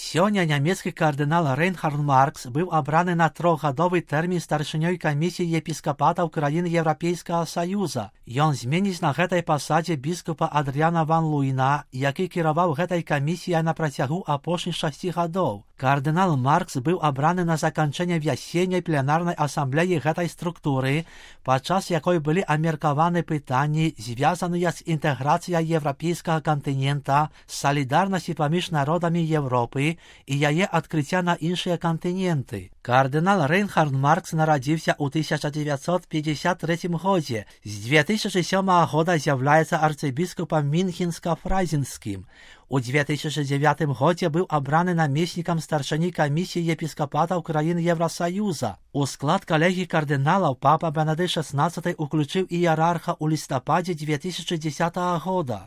Сёння нямецкі кардынал Рейнхард Маркс быў абраны на трохгадовы тэрмін старшынёй камісіі епіскапатаў краін Еўрапейскага Саюза. Ён зменіць на гэтай пасадзе біскупа Адрыяна ван Луйна, які кіраваў гэтай камісіяй на працягу апошніх 6 гадоў. Кардынал Маркс быў абраны на заканчэнне вясенняй пленарнай асамблеі гэтай структуры, падчас якой былі абмеркаваны пытанні, звязаныя з інтэграцыяй еўрапейскага кантынента, салідарнасці паміж народамі Еўропы і яе адкрыцця на іншыя кантыненты. Кардынал Рейнхард Маркс нарадзіўся ў 1953 годзе. З 2007 года з'яўляецца арцыбіскупам Мінхенска-Фрайзенскім. У 2009 годзе быў абраны намеснікам старшыні камісіі епіскапатаў краін Еўрасаюза. У склад калегіі кардыналаў папа Бенедыкт XVI уключыў іерарха ў лістападзе 2010 года.